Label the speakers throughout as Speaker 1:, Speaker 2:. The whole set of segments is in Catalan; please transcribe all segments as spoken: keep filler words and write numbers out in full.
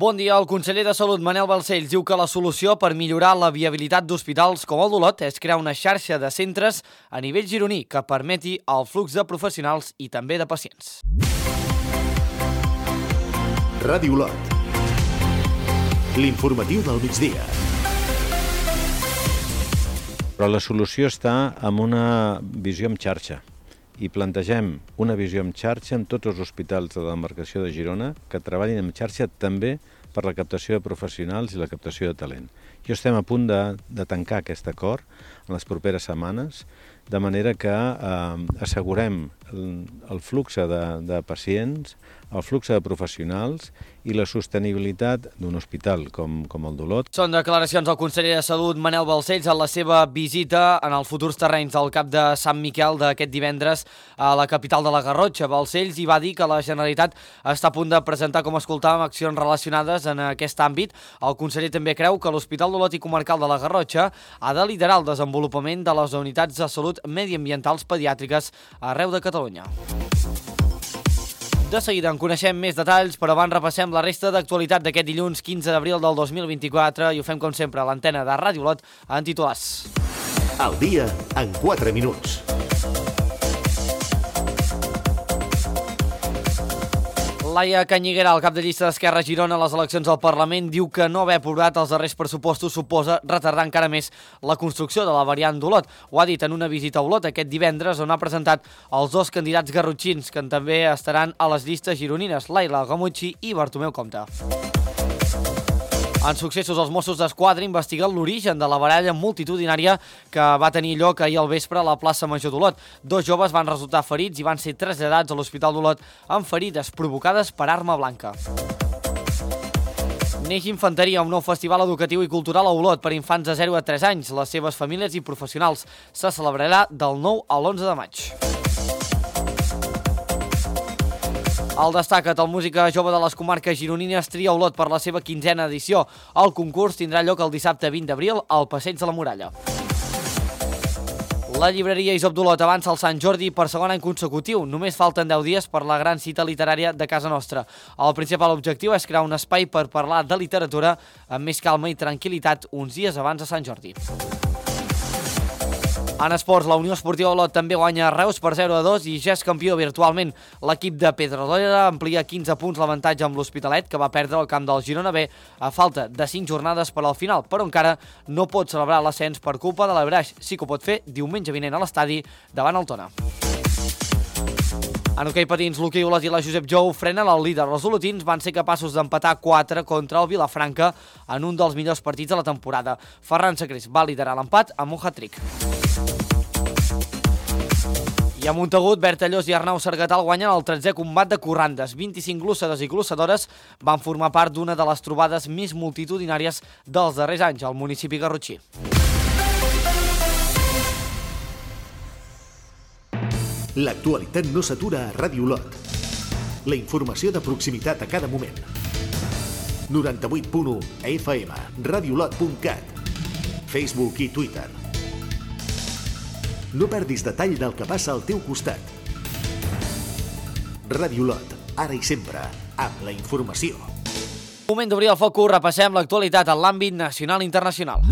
Speaker 1: Bon dia. El conseller de Salut, Manel Balcells, diu que la solució per millorar la viabilitat d'hospitals com el d'Olot és crear una xarxa de centres a nivell gironí que permeti el flux de professionals i també de pacients.
Speaker 2: Ràdio Olot. L'informatiu del migdia.
Speaker 3: Però la solució està en una visió en xarxa. I plantegem una visió en xarxa en tots els hospitals de la demarcació de Girona que treballin en xarxa també per la captació de professionals i la captació de talent. I estem a punt de, de tancar aquest acord en les properes setmanes, de manera que eh, assegurem el, el flux de, de pacients, el flux de professionals i la sostenibilitat d'un hospital com, com el d'Olot.
Speaker 1: Són declaracions del conseller de Salut, Manel Balcells, en la seva visita en els futurs terrenys del Cap de Sant Miquel d'aquest divendres a la capital de la Garrotxa. Balcells hi va dir que la Generalitat està a punt de presentar, com escoltàvem, accions relacionades en aquest àmbit. El conseller també creu que l'Hospital d'Olot i Comarcal de la Garrotxa ha de liderar el desenvolupament de les unitats de salut mediambientals pediàtriques arreu de Catalunya. De seguida en coneixem més detalls, però abans repassem la resta d'actualitat d'aquest dilluns quinze d'abril del dos mil vint-i-quatre i ho fem com sempre a l'antena de Ràdio Olot en titulars.
Speaker 2: El dia en quatre minuts.
Speaker 1: Laia Canyiguera, el cap de llista d'Esquerra Girona a les eleccions al Parlament, diu que no haver aprovat els darrers pressupostos suposa retardar encara més la construcció de la variant d'Olot. Ho ha dit en una visita a Olot aquest divendres, on ha presentat els dos candidats garrotxins que també estaran a les llistes gironines, Laila Gamucci i Bartomeu Compte. En successos, els Mossos d'Esquadra investiguen l'origen de la baralla multitudinària que va tenir lloc ahir al vespre a la plaça Major d'Olot. Dos joves van resultar ferits i van ser traslladats a l'Hospital d'Olot amb ferides provocades per arma blanca. Neix Infanteria, un nou festival educatiu i cultural a Olot per infants de zero a tres anys, les seves famílies i professionals. Se celebrarà del nou a l'onze de maig. El Destaca't, el música jove de les comarques gironines, tria Olot per la seva quinzena edició. El concurs tindrà lloc el dissabte vint d'abril al Passeig de la Muralla. La llibreria Isop d'Olot avança al Sant Jordi per segon any consecutiu. Només falten deu dies per la gran cita literària de casa nostra. El principal objectiu és crear un espai per parlar de literatura amb més calma i tranquil·litat uns dies abans de Sant Jordi. En esports, la Unió Esportiva Olot també guanya a Reus per zero a dos i ja és campió virtualment. L'equip de Pedrola amplia quinze punts l'avantatge amb l'Hospitalet, que va perdre el camp del Girona B a falta de cinc jornades per al final, però encara no pot celebrar l'ascens per culpa de l'Abraix. Sí que ho pot fer diumenge vinent a l'estadi davant el Tona. En hoquei patins, l'Hoquei Olot i la Josep Jou frenen el líder. Els olotins van ser capaços d'empatar quatre contra el Vilafranca en un dels millors partits de la temporada. Ferran Sacrés va liderar l'empat amb un hat-trick. I a Montagut, Bertallós i Arnau Sargatal guanyen el tretzè combat de corrandes. vint-i-cinc glossades i glossadores van formar part d'una de les trobades més multitudinàries dels darrers anys al municipi garrotxí.
Speaker 2: L'actualitat no s'atura a Ràdio Olot. La informació de proximitat a cada moment. noranta-vuit punt u F M, radiolot punt cat, Facebook i Twitter. No perdis detall del que passa al teu costat. Ràdio Olot, ara i sempre, amb la informació.
Speaker 1: Moment d'obrir el focus, repassem l'actualitat en l'àmbit nacional i internacional.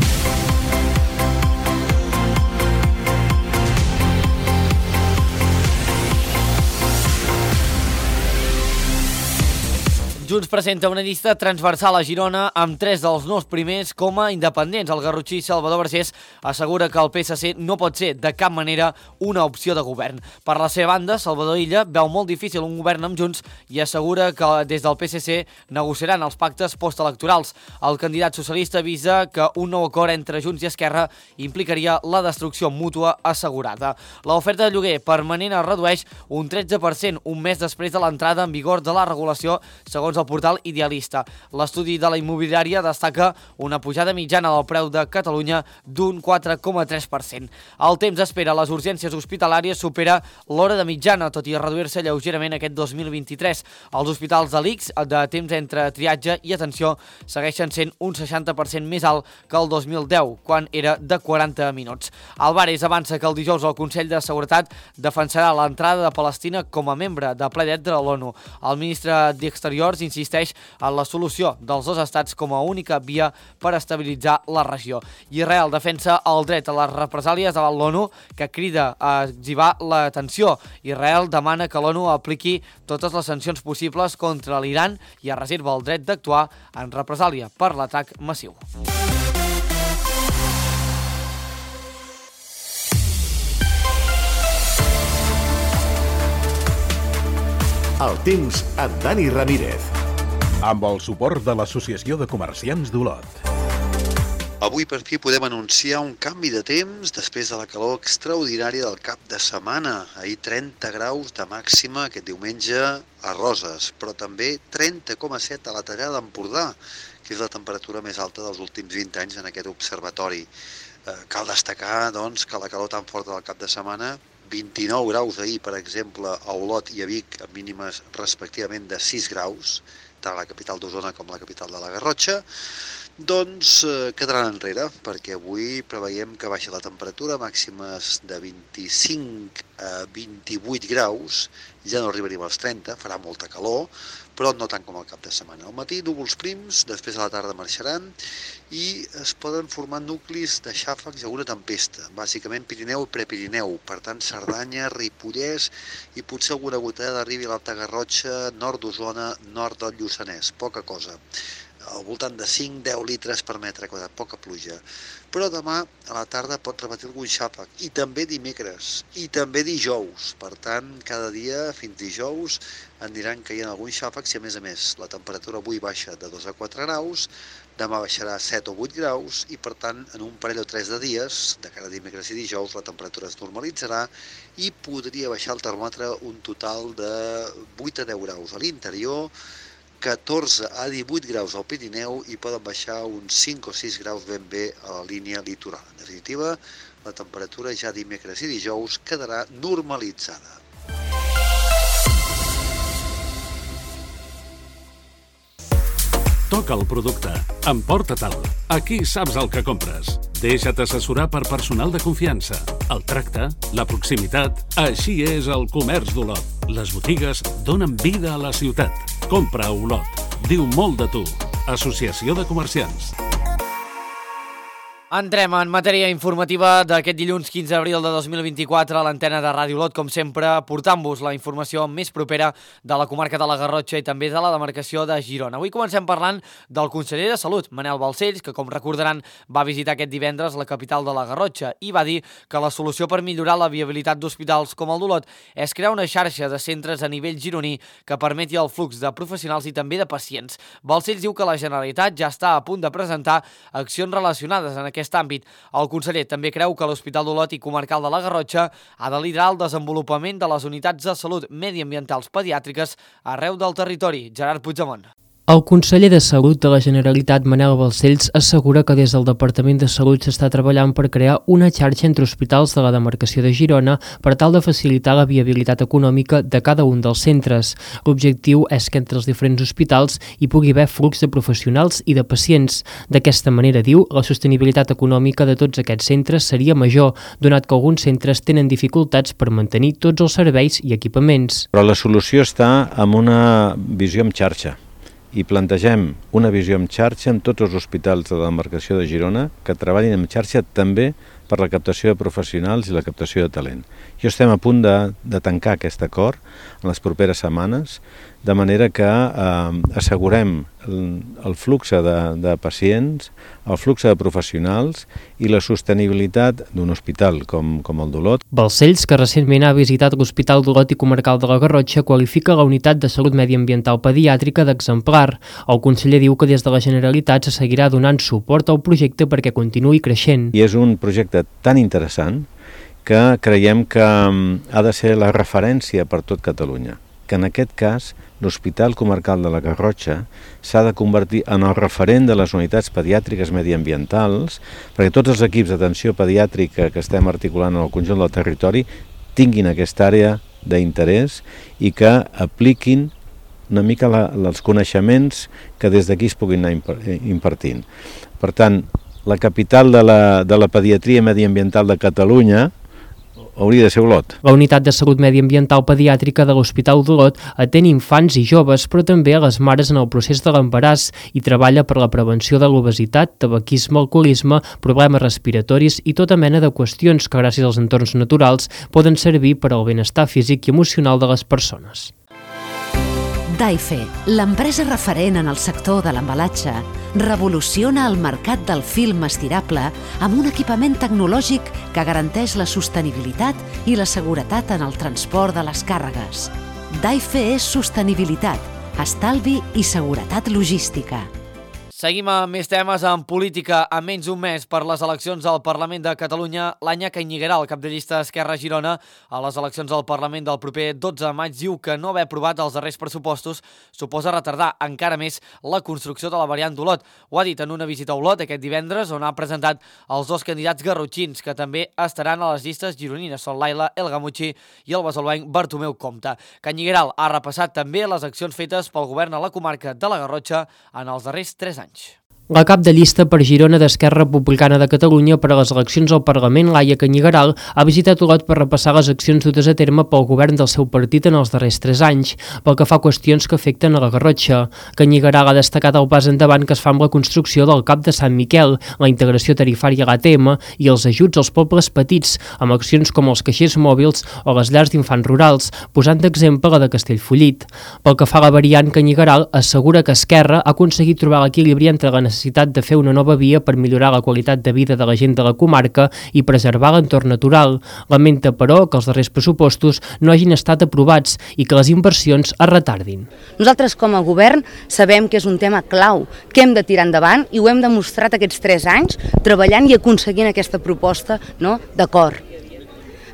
Speaker 1: Junts presenta una llista transversal a Girona amb tres dels nous primers com a independents. El garrotxí Salvador Vergés assegura que el P S C no pot ser de cap manera una opció de govern. Per la seva banda, Salvador Illa veu molt difícil un govern amb Junts i assegura que des del P S C negociaran els pactes postelectorals. El candidat socialista avisa que un nou acord entre Junts i Esquerra implicaria la destrucció mútua assegurada. L'oferta de lloguer permanent es redueix un tretze per cent un mes després de l'entrada en vigor de la regulació, segons el portal Idealista. L'estudi de la immobiliària destaca una pujada mitjana del preu de Catalunya d'un quatre coma tres per cent. El temps d'espera a les urgències hospitalàries supera l'hora de mitjana, tot i reduir-se lleugerament aquest dos mil vint-i-tres. Els hospitals de l'I C S de temps entre triatge i atenció segueixen sent un seixanta per cent més alt que el dos mil deu, quan era de quaranta minuts. Álvarez avança que el dijous el Consell de Seguretat defensarà l'entrada de Palestina com a membre de ple dret de l'ONU. El ministre d'Exteriors insisteix en la solució dels dos estats com a única via per estabilitzar la regió. Israel defensa el dret a les represàlies davant l'ONU, que crida a exhibar la tensió. Israel demana que l'ONU apliqui totes les sancions possibles contra l'Iran i es reserva el dret d'actuar en represàlia per l'atac massiu.
Speaker 2: El temps amb Dani Ramírez.
Speaker 4: Amb el suport de l'Associació de Comerciants d'Olot.
Speaker 5: Avui per fi podem anunciar un canvi de temps després de la calor extraordinària del cap de setmana. Ahir trenta graus de màxima aquest diumenge a Roses, però també trenta coma set a la Tallada d'Empordà, que és la temperatura més alta dels últims vint anys en aquest observatori. Eh, cal destacar, doncs, que la calor tan forta del cap de setmana, vint-i-nou graus ahir, per exemple, a Olot i a Vic, amb mínimes respectivament de sis graus, tant a la capital d'Osona com a la capital de la Garrotxa, doncs eh, quedaran enrere, perquè avui preveiem que baixa la temperatura, màximes de vint-i-cinc a vint-i-vuit graus, ja no arribaríem als trenta, farà molta calor, però no tant com al cap de setmana. Al matí, núvols prims, després a la tarda marxaran i es poden formar nuclis de xàfecs a una tempesta, bàsicament Pirineu i Prepirineu, per tant Cerdanya, Ripollès i potser alguna gotada arribi a l'Alta Garrotxa, nord d'Osona, nord del Lluçanès, poca cosa. Al voltant de cinc a deu litres per metre quadrat, poca pluja. Però demà a la tarda pot repetir algun xàfec, i també dimecres, i també dijous. Per tant, cada dia fins dijous aniran caient alguns xàfecs i, a més a més, la temperatura avui baixa de dos a quatre graus, demà baixarà a set o vuit graus i, per tant, en un parell o tres de dies, de cara a dimecres i dijous, la temperatura es normalitzarà i podria baixar el termòmetre un total de vuit a deu graus a l'interior, catorze a divuit graus al Pirineu i poden baixar uns cinc o sis graus ben bé a la línia litoral. En definitiva, la temperatura ja dimecres i dijous quedarà normalitzada.
Speaker 4: Toca el producte, emporta-te'l. Aquí saps el que compres. Deixa't assessorar per personal de confiança. El tracte, la proximitat, així és el comerç d'Olot. Les botigues donen vida a la ciutat. Compra a Olot. Diu molt de tu. Associació de Comerciants.
Speaker 1: Entrem en matèria informativa d'aquest dilluns quinze d'abril de dos mil vint-i-quatre a l'antena de Ràdio Olot, com sempre, portant-vos la informació més propera de la comarca de la Garrotxa i també de la demarcació de Girona. Avui comencem parlant del conseller de Salut, Manel Balcells, que, com recordaran, va visitar aquest divendres la capital de la Garrotxa i va dir que la solució per millorar la viabilitat d'hospitals com el d'Olot és crear una xarxa de centres a nivell gironí que permeti el flux de professionals i també de pacients. Balcells diu que la Generalitat ja està a punt de presentar accions relacionades en aquest aquest àmbit. El conseller també creu que l'Hospital d'Olot i Comarcal de la Garrotxa ha de liderar el desenvolupament de les unitats de salut mediambientals pediàtriques arreu del territori. Gerard Puigdemont.
Speaker 6: El conseller de Salut de la Generalitat, Manel Balcells, assegura que des del Departament de Salut s'està treballant per crear una xarxa entre hospitals de la demarcació de Girona per tal de facilitar la viabilitat econòmica de cada un dels centres. L'objectiu és que entre els diferents hospitals hi pugui haver flux de professionals i de pacients. D'aquesta manera, diu, la sostenibilitat econòmica de tots aquests centres seria major, donat que alguns centres tenen dificultats per mantenir tots els serveis i equipaments.
Speaker 3: Però la solució està en una visió en xarxa. I plantegem una visió en xarxa en tots els hospitals de la demarcació de Girona que treballin en xarxa també per la captació de professionals i la captació de talent. Jo estem a punt de, de tancar aquest acord en les properes setmanes, de manera que eh, assegurem el, el flux de, de pacients, el flux de professionals i la sostenibilitat d'un hospital com, com el d'Olot.
Speaker 6: Balcells, que recentment ha visitat l'Hospital d'Olot i Comarcal de la Garrotxa, qualifica la unitat de salut mediambiental pediàtrica d'exemplar. El conseller diu que des de la Generalitat se seguirà donant suport al projecte perquè continuï creixent.
Speaker 3: I és un projecte tan interessant que creiem que ha de ser la referència per tot Catalunya, que en aquest cas l'Hospital Comarcal de la Garrotxa s'ha de convertir en el referent de les unitats pediàtriques mediambientals perquè tots els equips d'atenció pediàtrica que estem articulant en el conjunt del territori tinguin aquesta àrea d'interès i que apliquin una mica la, els coneixements que des d'aquí es puguin anar impartint. Per tant, la capital de la, de la pediatria mediambiental de Catalunya, hauria de ser Olot.
Speaker 6: La Unitat de Salut Mediambiental Pediàtrica de l'Hospital d'Olot atén infants i joves, però també a les mares en el procés de l'embaràs i treballa per la prevenció de l'obesitat, tabaquisme, alcoholisme, problemes respiratoris i tota mena de qüestions que gràcies als entorns naturals poden servir per al benestar físic i emocional de les persones.
Speaker 7: Daife, l'empresa referent en el sector de l'embalatge, revoluciona el mercat del film estirable amb un equipament tecnològic que garanteix la sostenibilitat i la seguretat en el transport de les càrregues. Daife és sostenibilitat, estalvi i seguretat logística.
Speaker 1: Seguim amb més temes en política. A menys d'un mes per les eleccions al Parlament de Catalunya, l'Anya Cañigueral, el cap de llista Esquerra Girona, a les eleccions al Parlament del proper dotze de maig, diu que no haver aprovat els darrers pressupostos suposa retardar encara més la construcció de la variant d'Olot. Ho ha dit en una visita a Olot aquest divendres, on ha presentat els dos candidats garrotxins, que també estaran a les llistes gironines. Són Laila El Gamuchi i el besalbenc Bartomeu Compte. Cañigueral ha repassat també les accions fetes pel govern a la comarca de la Garrotxa en els darrers tres anys.
Speaker 6: La cap de llista per Girona d'Esquerra Republicana de Catalunya per a les eleccions al Parlament, Laia Cañigueral, ha visitat Olot per repassar les accions dutes a terme pel govern del seu partit en els darrers tres anys, pel que fa a qüestions que afecten a la Garrotxa. Cañigueral ha destacat el pas endavant que es fa amb la construcció del Cap de Sant Miquel, la integració tarifària a l'A T M i els ajuts als pobles petits, amb accions com els caixers mòbils o les llars d'infants rurals, posant d'exemple la de Castellfollit. Pel que fa a la variant, Cañigueral assegura que Esquerra ha aconseguit trobar l'equilibri entre la necessitat necessitat de fer una nova via per millorar la qualitat de vida de la gent de la comarca i preservar l'entorn natural. Lamenta, però, que els darrers pressupostos no hagin estat aprovats i que les inversions es retardin.
Speaker 8: Nosaltres, com a govern, sabem que és un tema clau, que hem de tirar endavant i ho hem demostrat aquests tres anys treballant i aconseguint aquesta proposta, no, d'acord.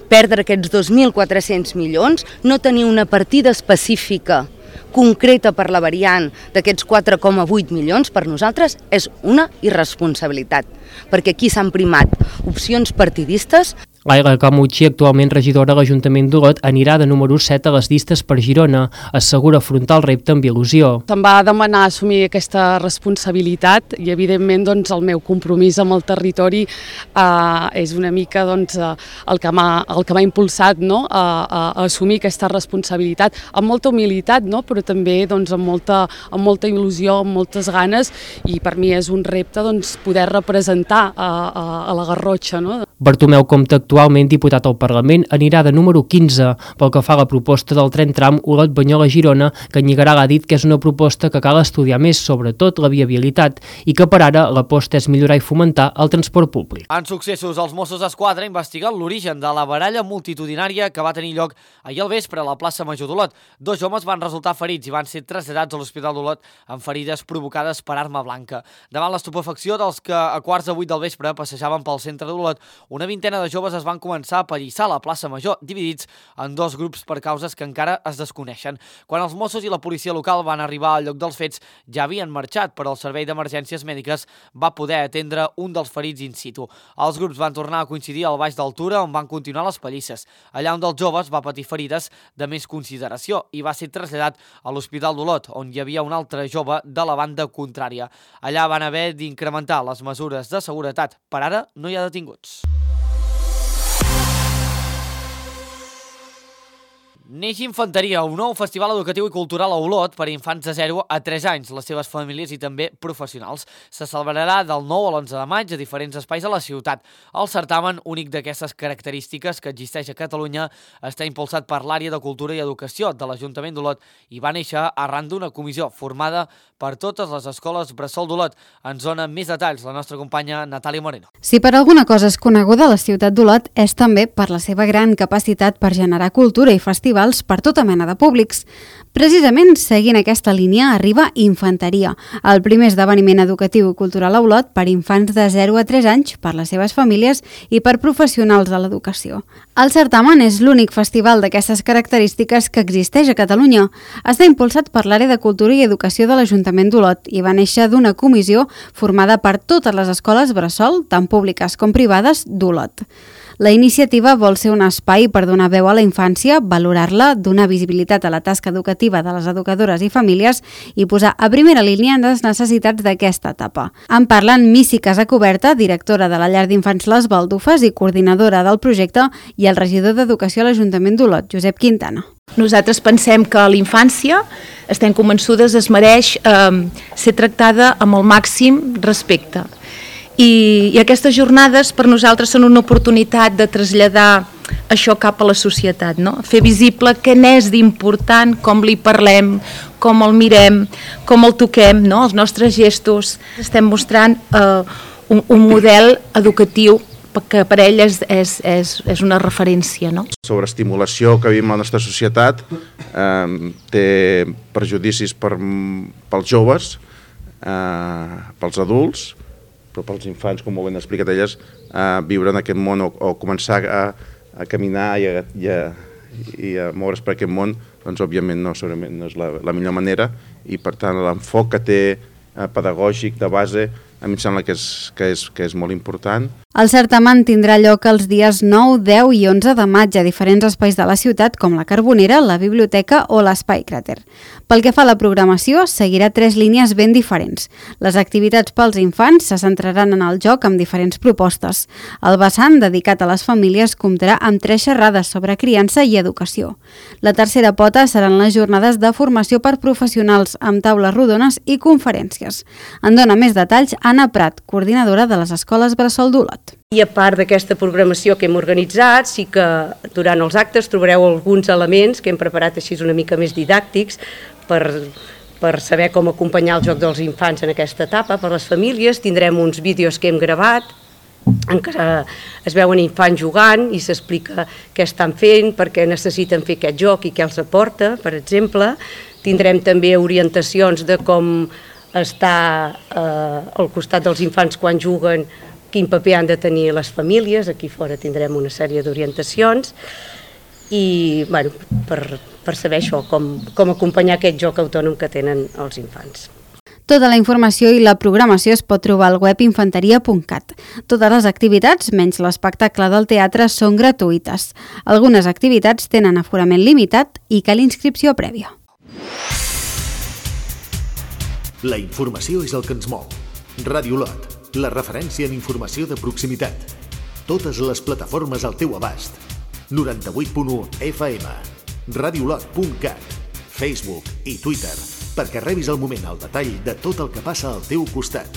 Speaker 8: Perdre aquests dos mil quatre-cents milions, no tenir una partida específica concreta per la variant d'aquests quatre coma vuit milions, per nosaltres és una irresponsabilitat, perquè aquí s'han primat opcions partidistes.
Speaker 6: Laila Camuchi, actualment regidora a l'Ajuntament d'Olot, anirà de número set a les llistes per Girona. Assegura afrontar el repte amb il·lusió.
Speaker 9: Se'm va demanar assumir aquesta responsabilitat i, evidentment, doncs, el meu compromís amb el territori eh, és una mica doncs, el que m'ha el que m'ha impulsat, no? a, a, a assumir aquesta responsabilitat amb molta humilitat, no? Però també doncs, amb, molta, amb molta il·lusió, amb moltes ganes, i per mi és un repte doncs, poder representar a, a, a la Garrotxa. No?
Speaker 6: Bartomeu Compte, actualment diputat al Parlament, anirà de número quinze. Pel que fa a la proposta del tren tram Olot-Banyoles-Girona, Cañigueral ha dit que és una proposta que cal estudiar més, sobretot la viabilitat, i que per ara l'aposta és millorar i fomentar el transport públic.
Speaker 1: En successos, els Mossos d'Esquadra investiguen l'origen de la baralla multitudinària que va tenir lloc ahir al vespre a la plaça Major d'Olot. Dos homes van resultar ferits i van ser traslladats a l'Hospital d'Olot amb ferides provocades per arma blanca. Davant l'estupefacció dels que a quarts de vuit del vespre passejaven pel centre d'Olot, una vintena de joves es van començar a pallissar a la plaça Major, dividits en dos grups per causes que encara es desconeixen. Quan els Mossos i la policia local van arribar al lloc dels fets, ja havien marxat, però el servei d'emergències mèdiques va poder atendre un dels ferits in situ. Els grups van tornar a coincidir al baix d'Altura, on van continuar les pallisses. Allà un dels joves va patir ferides de més consideració i va ser traslladat a l'Hospital d'Olot, on hi havia un altre jove de la banda contrària. Allà van haver d'incrementar les mesures de seguretat. Per ara no hi ha detinguts. Neix Infanteria, un nou festival educatiu i cultural a Olot per a infants de zero a tres anys, les seves famílies i també professionals. Se celebrarà del nou a l'onze de maig a diferents espais a la ciutat. El certamen, únic d'aquestes característiques que existeix a Catalunya, està impulsat per l'àrea de Cultura i Educació de l'Ajuntament d'Olot i va néixer arran d'una comissió formada per totes les escoles bressol d'Olot. Ens dona més detalls la nostra companya Natàlia Moreno.
Speaker 10: Si per alguna cosa és coneguda la ciutat d'Olot és també per la seva gran capacitat per generar cultura i festivals per tota mena de públics. Precisament seguint aquesta línia arriba Infanteria, el primer esdeveniment educatiu i cultural a Olot per infants de zero a tres anys, per les seves famílies i per professionals de l'educació. El certamen és l'únic festival d'aquestes característiques que existeix a Catalunya. Està impulsat per l'àrea de Cultura i Educació de l'Ajuntament d'Olot i va néixer d'una comissió formada per totes les escoles bressol, tant públiques com privades, d'Olot. La iniciativa vol ser un espai per donar veu a la infància, valorar-la, donar visibilitat a la tasca educativa de les educadores i famílies i posar a primera línia les necessitats d'aquesta etapa. En parlen Missy Casacoberta, directora de la llar d'infants Les Baldufes i coordinadora del projecte, i el regidor d'Educació a l'Ajuntament d'Olot, Josep Quintana.
Speaker 11: Nosaltres pensem que la infància, estem convençudes, es mereix eh, ser tractada amb el màxim respecte. I, i aquestes jornades per nosaltres són una oportunitat de traslladar això cap a la societat, no? Fer visible què n'és d'important, com li parlem, com el mirem, com el toquem, no? Els nostres gestos. Estem mostrant eh, un, un model educatiu que per ell és, és, és, és una referència, no?
Speaker 12: Sobreestimulació que vivim a la nostra societat eh, té perjudicis per, pels joves, eh, pels adults, però pels infants, com molt ben explicat elles, eh, viure en aquest món o, o començar a, a caminar i a, i, a, i a moure's per aquest món, doncs òbviament no, segurament no és la, la millor manera, i per tant l'enfoc que té eh, pedagògic de base a mi em sembla que és, que és, que és molt important.
Speaker 10: El certamen tindrà lloc els dies nou, deu i onze de maig a diferents espais de la ciutat com la Carbonera, la Biblioteca o l'Espai Cràter. Pel que fa a la programació, seguirà tres línies ben diferents. Les activitats pels infants se centraran en el joc amb diferents propostes. El vessant dedicat a les famílies comptarà amb tres xerrades sobre criança i educació. La tercera pota seran les jornades de formació per professionals amb taules rodones i conferències. En dona més detalls Anna Prat, coordinadora de les escoles Bressol d'Olot.
Speaker 13: I a part d'aquesta programació que hem organitzat, sí que durant els actes trobareu alguns elements que hem preparat així una mica més didàctics per, per saber com acompanyar el joc dels infants en aquesta etapa, per les famílies. Tindrem uns vídeos que hem gravat en què es veuen infants jugant i s'explica què estan fent, per què necessiten fer aquest joc i què els aporta, per exemple. Tindrem també orientacions de com estar eh, al costat dels infants quan juguen, quin paper han de tenir les famílies. Aquí fora tindrem una sèrie d'orientacions i bueno, per, per saber això, com, com acompanyar aquest joc autònom que tenen els infants.
Speaker 10: Tota la informació i la programació es pot trobar al web infanteria punt cat. Totes les activitats, menys l'espectacle del teatre, són gratuïtes. Algunes activitats tenen aforament limitat i cal inscripció prèvia.
Speaker 2: La informació és el que ens mou. Ràdio Olot, la referència en informació de proximitat. Totes les plataformes al teu abast. noranta-vuit punt u F M, radiolot punt cat, Facebook i Twitter, perquè rebis al moment el detall de tot el que passa al teu costat.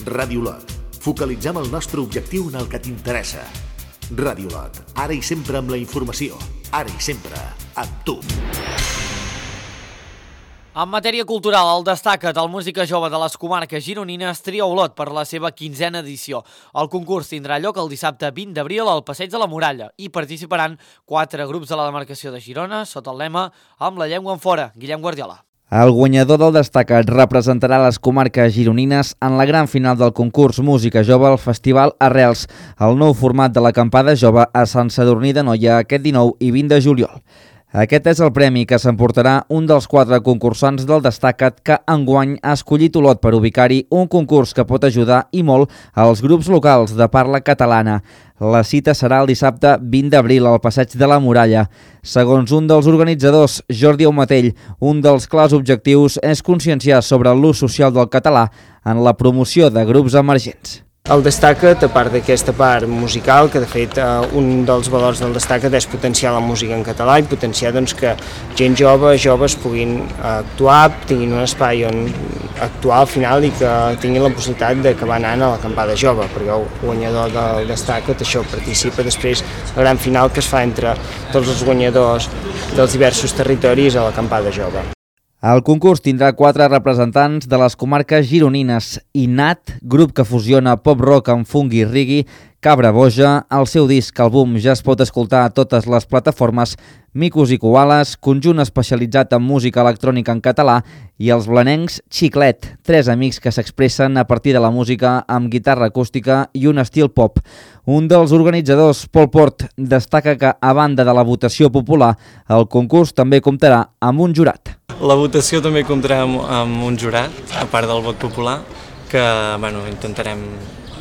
Speaker 2: Ràdio Olot, focalitzem el nostre objectiu en el que t'interessa. Ràdio Olot, ara i sempre amb la informació, ara i sempre amb tu.
Speaker 1: En matèria cultural, el Destaca't, el música jove de les comarques gironines, tria Olot per la seva quinzena edició. El concurs tindrà lloc el dissabte vint d'abril al Passeig de la Muralla i participaran quatre grups de la demarcació de Girona sota el lema Amb la llengua en fora. Guillem Guardiola.
Speaker 14: El guanyador del Destaca't representarà les comarques gironines en la gran final del concurs Música Jove al Festival Arrels, el nou format de l'acampada jove a Sant Sadurní d'Anoia aquest dinou i vint de juliol. Aquest és el premi que s'emportarà un dels quatre concursants del Destaca't que enguany ha escollit Olot per ubicar-hi un concurs que pot ajudar i molt als grups locals de parla catalana. La cita serà el dissabte vint d'abril al Passeig de la Muralla. Segons un dels organitzadors, Jordi Aumatell, un dels clars objectius és conscienciar sobre l'ús social del català en la promoció de grups emergents.
Speaker 15: El Destaca't, a part d'aquesta part musical, que de fet un dels valors del Destaca't és potenciar la música en català i potenciar doncs, que gent jove, joves puguin actuar, tinguin un espai on actuar al final i que tinguin la possibilitat d'acabar anant a l'acampada jove, perquè el guanyador del Destaca't això participa després la gran final que es fa entre tots els guanyadors dels diversos territoris a l'acampada jove.
Speaker 14: El concurs tindrà quatre representants de les comarques gironines: Inat, grup que fusiona pop-rock amb funk i reggae; Cabra Boja, el seu disc àlbum ja es pot escoltar a totes les plataformes; Micos i Koalas, conjunt especialitzat en música electrònica en català; i els blanencs Xiclet, tres amics que s'expressen a partir de la música amb guitarra acústica i un estil pop. Un dels organitzadors, Pol Port, destaca que, a banda de la votació popular, el concurs també comptarà amb un jurat.
Speaker 16: La votació també comptarà amb, amb un jurat, a part del vot popular, que bueno, intentarem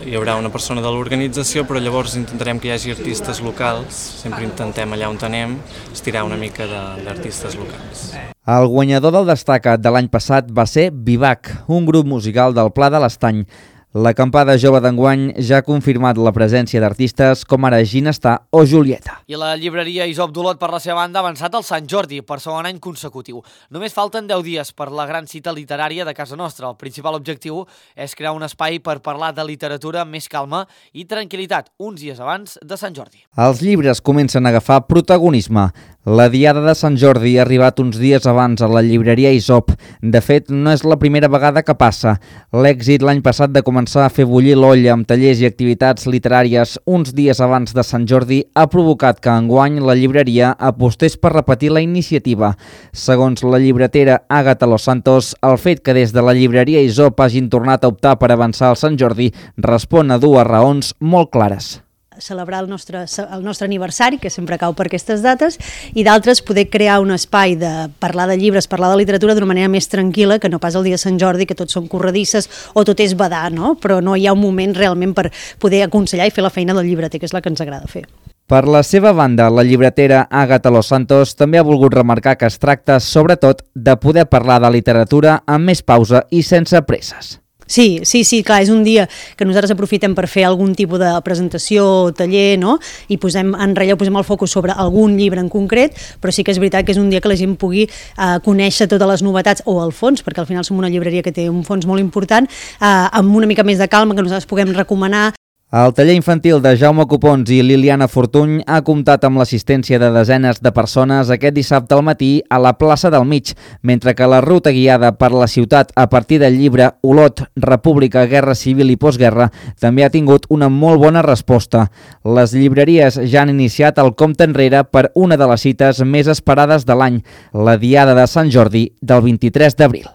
Speaker 16: hi haurà una persona de l'organització, però llavors intentarem que hi hagi artistes locals, sempre intentem allà on anem estirar una mica d'artistes locals.
Speaker 14: El guanyador del Destacat de l'any passat va ser Vivac, un grup musical del Pla de l'Estany. L'acampada jove d'enguany ja ha confirmat la presència d'artistes com ara Ginestar o Julieta.
Speaker 1: I la llibreria Isop d'Olot, per la seva banda, ha avançat al Sant Jordi per segon any consecutiu. Només falten deu dies per la gran cita literària de casa nostra. El principal objectiu és crear un espai per parlar de literatura amb més calma i tranquil·litat, uns dies abans de Sant Jordi.
Speaker 14: Els llibres comencen a agafar protagonisme. La Diada de Sant Jordi ha arribat uns dies abans a la llibreria Isop. De fet, no és la primera vegada que passa. L'èxit l'any passat de començar a fer bullir l'olla amb tallers i activitats literàries uns dies abans de Sant Jordi ha provocat que enguany la llibreria apostés per repetir la iniciativa. Segons la llibretera Àgata Los Santos, el fet que des de la llibreria Isop hagin tornat a optar per avançar al Sant Jordi respon a dues raons molt clares.
Speaker 17: Celebrar el nostre, el nostre aniversari, que sempre cau per aquestes dates, i d'altres poder crear un espai de parlar de llibres, parlar de literatura d'una manera més tranquil·la, que no pas el dia de Sant Jordi, que tots són corredisses o tot és badar, no? Però no hi ha un moment realment per poder aconsellar i fer la feina del llibreter, que és la que ens agrada fer.
Speaker 14: Per la seva banda, la llibretera Àgata Los Santos també ha volgut remarcar que es tracta, sobretot, de poder parlar de literatura amb més pausa i sense presses.
Speaker 17: Sí, sí, sí, clar, és un dia que nosaltres aprofitem per fer algun tipus de presentació o taller, no? I posem en relleu, posem el focus sobre algun llibre en concret, però sí que és veritat que és un dia que la gent pugui eh, conèixer totes les novetats o el fons, perquè al final som una llibreria que té un fons molt important, eh, amb una mica més de calma, que nosaltres puguem recomanar.
Speaker 14: El taller infantil de Jaume Copons i Liliana Fortuny ha comptat amb l'assistència de desenes de persones aquest dissabte al matí a la plaça del Mig, mentre que la ruta guiada per la ciutat a partir del llibre Olot, República, Guerra Civil i Postguerra també ha tingut una molt bona resposta. Les llibreries ja han iniciat el compte enrere per una de les cites més esperades de l'any, la Diada de Sant Jordi del vint-i-tres d'abril.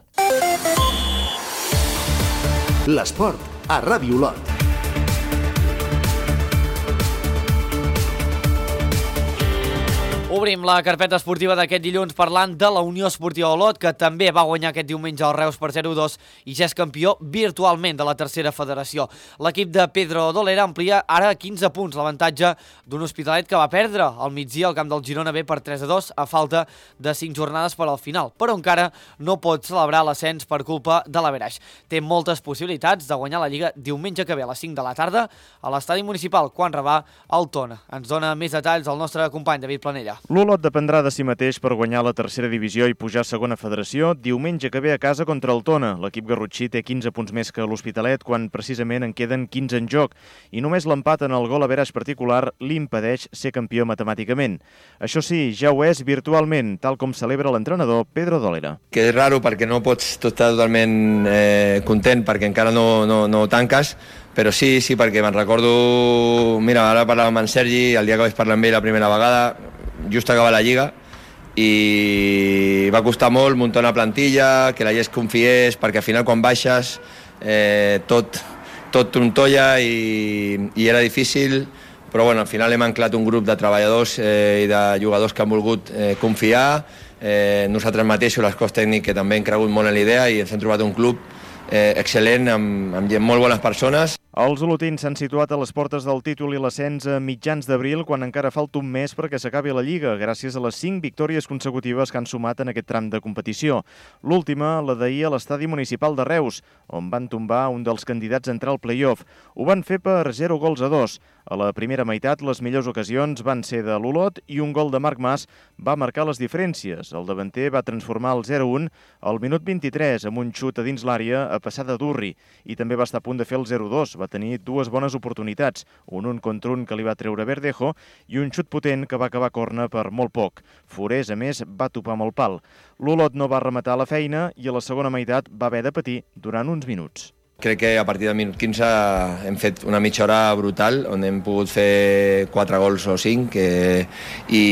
Speaker 2: L'esport a Ràdio Olot.
Speaker 1: Obrim la carpeta esportiva d'aquest dilluns parlant de la Unió Esportiva Olot, que també va guanyar aquest diumenge al Reus per zero a dos i ja és campió virtualment de la tercera federació. L'equip de Pedro Dolera amplia ara quinze punts l'avantatge d'un Hospitalet que va perdre al migdia al camp del Girona B per tres a dos a falta de cinc jornades per al final, però encara no pot celebrar l'ascens per culpa de l'averaix. Té moltes possibilitats de guanyar la Lliga diumenge que ve a les cinc de la tarda a l'estadi municipal quan rebà el Tona. Ens dona més detalls el nostre company David Planella.
Speaker 18: L'Olot dependrà de si mateix per guanyar la tercera divisió i pujar a segona federació diumenge que ve a casa contra el Tona. L'equip garrotxí té quinze punts més que l'Hospitalet quan precisament en queden quinze en joc i només l'empat en el gol average particular li impedeix ser campió matemàticament. Això sí, ja ho és virtualment, tal com celebra l'entrenador Pedro Dolera.
Speaker 19: Que és raro perquè no pots estar totalment eh, content perquè encara no, no, no tanques, però sí, sí, perquè me'n recordo... Mira, ara parlava amb en Sergi, el dia que vaig parlar amb ell la primera vegada, just acaba la Lliga, i va costar molt muntar una plantilla, que la gent es confiés, perquè al final quan baixes eh, tot, tot trontolla i, i era difícil, però bueno, al final hem anclat un grup de treballadors eh, i de jugadors que han volgut eh, confiar, eh, nosaltres mateixos, l'escòs tècnic, que també hem cregut molt en l'idea i ens hem trobat un club eh, excel·lent, amb, amb molt bones persones.
Speaker 18: Els olotins s'han situat a les portes del títol i l'ascens a mitjans d'abril quan encara falta un mes perquè s'acabi la Lliga, gràcies a les cinc victòries consecutives que han sumat en aquest tram de competició. L'última, la d'ahir a l'estadi municipal de Reus, on van tombar un dels candidats a entrar al play-off. Ho van fer per zero gols a dos. A la primera meitat, les millors ocasions van ser de l'Olot i un gol de Marc Mas va marcar les diferències. El davanter va transformar el zero a un al minut vint-i-tres amb un xut a dins l'àrea a passar de Durri i també va estar a punt de fer el zero a dos. Va tenir dues bones oportunitats, un un contra un que li va treure Verdejo i un xut potent que va acabar a corna per molt poc. Forés, a més, va topar amb el pal. L'Olot no va rematar la feina i a la segona meitat va haver de patir durant uns minuts.
Speaker 19: Crec que a partir del minut quinze hem fet una mitja hora brutal, on hem pogut fer quatre gols o cinc que, i,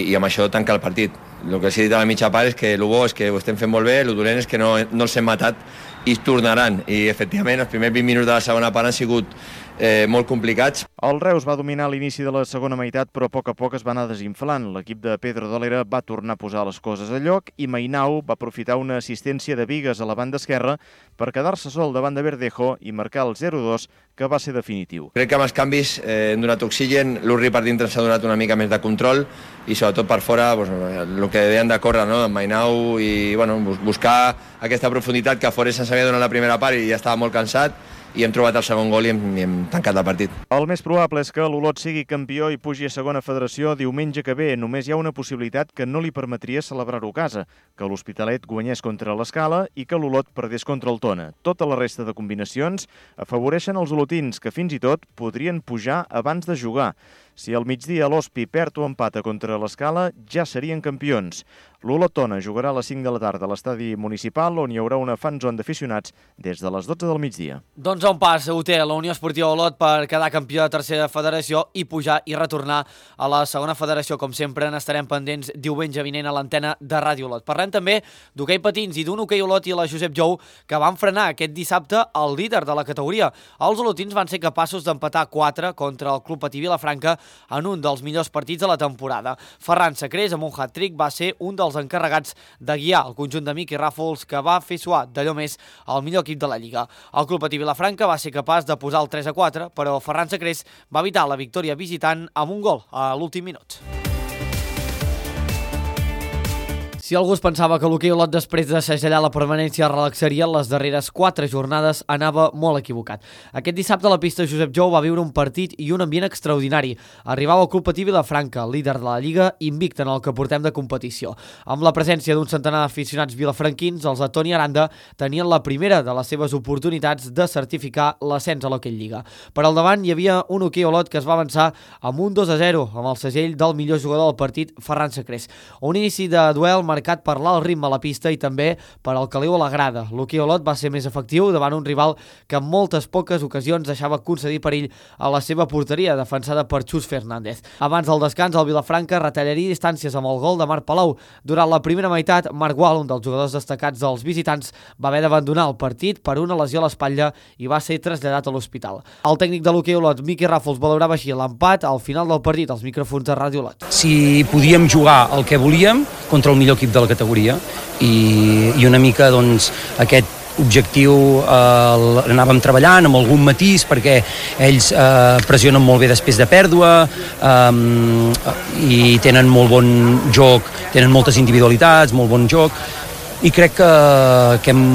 Speaker 19: i amb això tancar el partit. El que s'ha dit a la mitja part és que el bo és que ho estem fent molt bé, el dolent és que no, no els hem matat i tornaran. I, efectivament, els primers vint minuts de la segona part han sigut eh, molt complicats.
Speaker 18: El Reus va dominar l'inici de la segona meitat, però a poc a poc es va anar desinflant. L'equip de Pedro Dolera va tornar a posar les coses a lloc i Mainau va aprofitar una assistència de Bigues a la banda esquerra per quedar-se sol davant de Verdejo i marcar el zero dos, que va ser definitiu.
Speaker 19: Crec que amb els canvis eh, hem donat oxigen, l'Urri per dintre s'ha donat una mica més de control i sobretot per fora doncs, el que deien de córrer, no? En Mainau i bueno, buscar aquesta profunditat que a fora se'ns havia donat la primera part i ja estava molt cansat, i hem trobat el segon gol i hem, i hem tancat el partit.
Speaker 18: El més probable és que l'Olot sigui campió i pugi a segona federació diumenge que ve. Només hi ha una possibilitat que no li permetria celebrar-ho a casa, que l'Hospitalet guanyés contra l'Escala i que l'Olot perdés contra el Tona. Tota la resta de combinacions afavoreixen els olotins, que fins i tot podrien pujar abans de jugar. Si al migdia l'Hospi perd o empata contra l'Escala, ja serien campions. L'Olot Tona jugarà a les cinc de la tarda a l'estadi municipal, on hi haurà una fanzone d'aficionats des de les dotze del migdia.
Speaker 1: Doncs a un pas ho té la Unió Esportiva Olot per quedar campió de tercera federació i pujar i retornar a la segona federació. Com sempre, n'estarem pendents diumenge vinent a l'antena de Ràdio Olot. Parlem també d'hoquei patins i d'un hoquei Olot i la Josep Jou que van frenar aquest dissabte el líder de la categoria. Els olotins van ser capaços d'empatar quatre contra el Club Patí Vilafranca en un dels millors partits de la temporada. Ferran Sacrés, amb un hat-trick, va ser un dels encarregats de guiar el conjunt de Miqui Ràfols, que va fer suar d'allò més el millor equip de la Lliga. El Club Patí Vilafranca va ser capaç de posar el tres a quatre, però Ferran Sacrés va evitar la victòria visitant amb un gol a l'últim minut. Si algú es pensava que l'hoquei Olot després de segellar la permanència relaxaria les darreres quatre jornades, anava molt equivocat. Aquest dissabte la pista Josep Jou va viure un partit i un ambient extraordinari. Arribava el Club Patí Vilafranca, líder de la Lliga, invicte en el que portem de competició. Amb la presència d'un centenar d'aficionats vilafranquins, els de Toni Aranda tenien la primera de les seves oportunitats de certificar l'ascens a l'hoquei Lliga. Per al davant hi havia un hoquei Olot que es va avançar amb un dos a zero, amb el segell del millor jugador del partit, Ferran Sacrés. Un inici de duel marcat per l'alt ritme a la pista i també per al caliu a la grada. L'hoquei Olot va ser més efectiu davant un rival que en moltes poques ocasions deixava concedir perill a la seva porteria, defensada per Xus Fernández. Abans del descans, el Vilafranca retallaria distàncies amb el gol de Marc Palau. Durant la primera meitat, Marc Gual, un dels jugadors destacats dels visitants, va haver d'abandonar el partit per una lesió a l'espatlla i va ser traslladat a l'hospital. El tècnic de l'hoquei Olot, Miqui Ràfols, valorava així l'empat al final del partit als micròfons de Ràdio Olot.
Speaker 20: Si podíem jugar el que volíem contra el millor equip de la categoria i, i una mica doncs, aquest objectiu eh, l'anàvem treballant amb algun matís perquè ells eh, pressionen molt bé després de pèrdua eh, i tenen molt bon joc, tenen moltes individualitats, molt bon joc i crec que, que hem,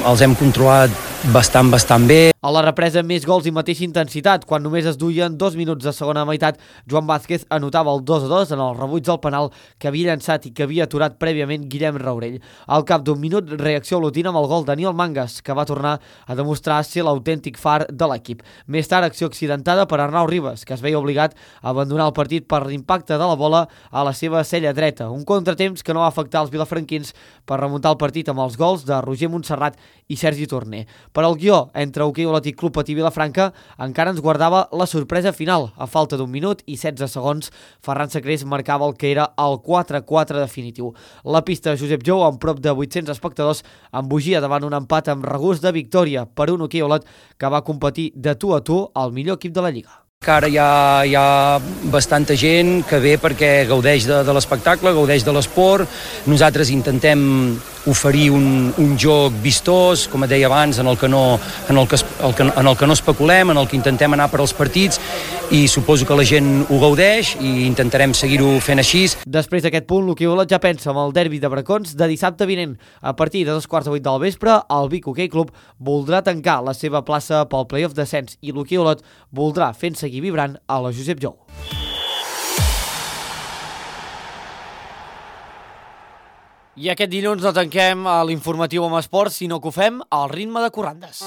Speaker 20: els hem controlat bastant, bastant bé.
Speaker 1: A la represa, més gols i mateixa intensitat. Quan només es duien dos minuts de segona meitat, Joan Vázquez anotava el dos a dos en el rebuig del penal que havia llançat i que havia aturat prèviament Guillem Raurell. Al cap d'un minut, reacció olotina amb el gol Daniel Mangas, que va tornar a demostrar ser l'autèntic far de l'equip. Més tard, acció accidentada per Arnau Ribas, que es veia obligat a abandonar el partit per l'impacte de la bola a la seva cella dreta. Un contratemps que no va afectar els vilafranquins per remuntar el partit amb els gols de Roger Montserrat i Sergi Torner. Per al guió entre hoquei Olot i Club Patí Vilafranca encara ens guardava la sorpresa final. A falta d'un minut i setze segons, Ferran Sacrés marcava el que era el quatre a quatre definitiu. La pista Josep Jou, amb prop de vuit-cents espectadors, embogia davant un empat amb regust de victòria per un hoquei Olot que va competir de tu a tu al millor equip de la Lliga.
Speaker 20: Que ara hi ha, hi ha bastanta gent que ve perquè gaudeix de, de l'espectacle, gaudeix de l'esport. Nosaltres intentem oferir un, un joc vistós, com et deia abans, en el que no, en el que, el que, en el que no especulem, en el que intentem anar per als partits, i suposo que la gent ho gaudeix i intentarem seguir-ho fent així.
Speaker 1: Després d'aquest punt, l'hoquei Olot ja pensa en el derbi de Bracons de dissabte vinent. A partir de dos quarts de vuit del vespre, el Vic Hoquei Club voldrà tancar la seva plaça pel play-off descens i l'hoquei Olot voldrà fent seguir vibrant a la Josep Jou. I aquest dilluns no tanquem l'informatiu amb esports, sinó que ho fem al ritme de corrandes.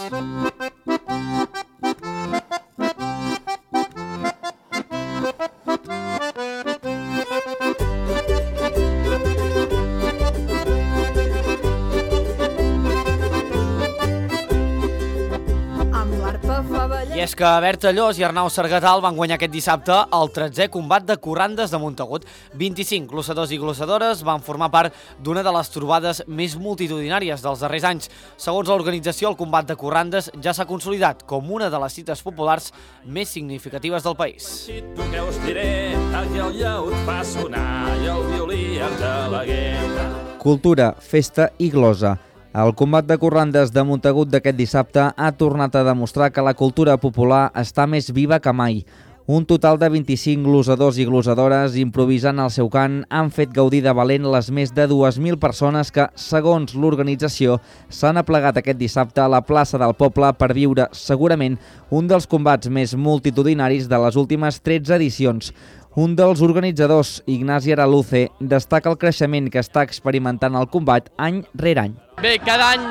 Speaker 1: I és que Berta Llos i Arnau Sargatal van guanyar aquest dissabte el tretzè combat de corrandes de Montagut. vint-i-cinc glossadors i glossadores van formar part d'una de les trobades més multitudinàries dels darrers anys. Segons l'organització, el combat de corrandes ja s'ha consolidat com una de les cites populars més significatives del país.
Speaker 21: Tu què us diré, aquí el llaut fa sonar i el violí ens aleguem.
Speaker 14: Cultura, festa i glosa. El combat de corrandes de Montagut d'aquest dissabte ha tornat a demostrar que la cultura popular està més viva que mai. Un total de vint-i-cinc glosadors i glosadores improvisant el seu cant han fet gaudir de valent les més de dues mil persones que, segons l'organització, s'han aplegat aquest dissabte a la plaça del poble per viure segurament un dels combats més multitudinaris de les últimes tretze edicions. Un dels organitzadors, Ignasi Araluce, destaca el creixement que està experimentant el combat any rere any.
Speaker 22: Bé, cada any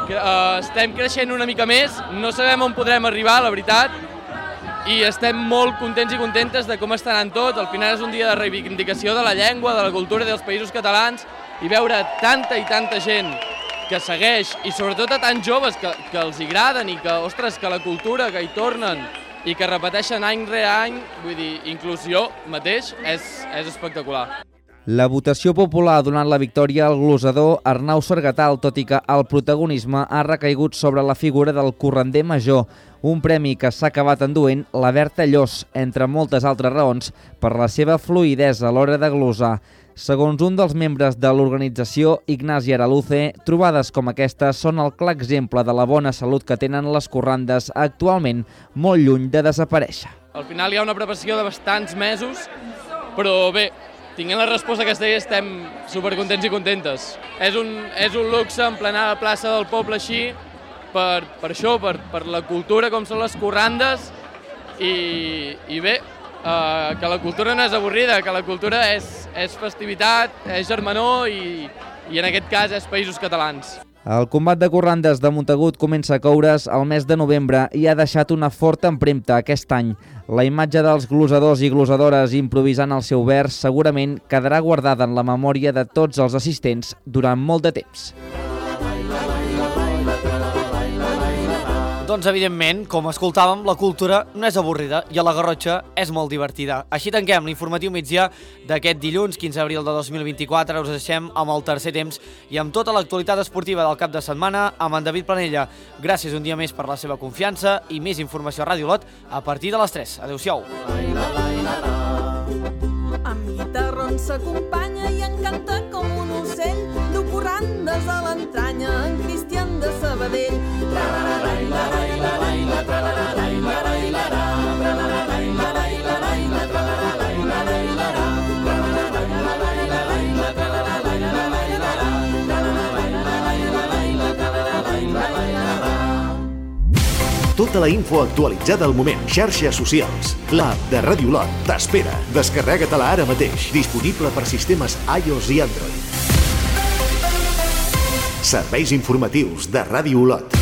Speaker 22: eh, estem creixent una mica més, no sabem on podrem arribar, la veritat, i estem molt contents i contentes de com està anant tot. Al final és un dia de reivindicació de la llengua, de la cultura i dels països catalans, i veure tanta i tanta gent que segueix, i sobretot a tants joves que, que els agraden i que, ostres, que la cultura, que hi tornen, i que repeteixen any rere any, vull dir, inclús jo mateix, és, és espectacular.
Speaker 14: La votació popular ha donat la victòria al glosador Arnau Sargatal, tot i que el protagonisme ha recaigut sobre la figura del corrander major, un premi que s'ha acabat enduent la Berta Llos, entre moltes altres raons, per la seva fluïdesa a l'hora de glosar. Segons un dels membres de l'organització, Ignasi Araluce, trobades com aquestes són el clar exemple de la bona salut que tenen les corrandes actualment molt lluny de desaparèixer.
Speaker 22: Al final hi ha una preparació de bastants mesos, però bé, tinguent la resposta aquesta dia estem supercontents i contentes. És un, és un luxe emplenar la plaça del poble així, per, per això, per, per la cultura com són les corrandes, i, i bé, Uh, que la cultura no és avorrida, que la cultura és, és festivitat, és germanor i, i en aquest cas és països catalans.
Speaker 14: El combat de corrandes de Montagut comença a coure's al mes de novembre i ha deixat una forta empremta aquest any. La imatge dels glosadors i glosadores improvisant el seu vers segurament quedarà guardada en la memòria de tots els assistents durant molt de temps.
Speaker 1: Doncs, evidentment, com escoltàvem, la cultura no és avorrida i a la Garrotxa és molt divertida. Així tanquem l'informatiu migdia d'aquest dilluns, quinze d'abril de dos mil vint-i-quatre. Us deixem amb el tercer temps i amb tota l'actualitat esportiva del cap de setmana amb en David Planella. Gràcies un dia més per la seva confiança i més informació a Ràdio Olot a partir de les tres. Adéu-siau.
Speaker 23: Amb guitarrón s'acompanya i encanta com un ocell, du corrandes a l'entranya, en Cristian de Sabadell.
Speaker 2: Tota la info actualitzada al moment. Xarxes socials. L'app de Ràdio Olot t'espera. Descarrega-te-la ara mateix. Disponible per sistemes iOS i Android. Serveis informatius de Ràdio Olot.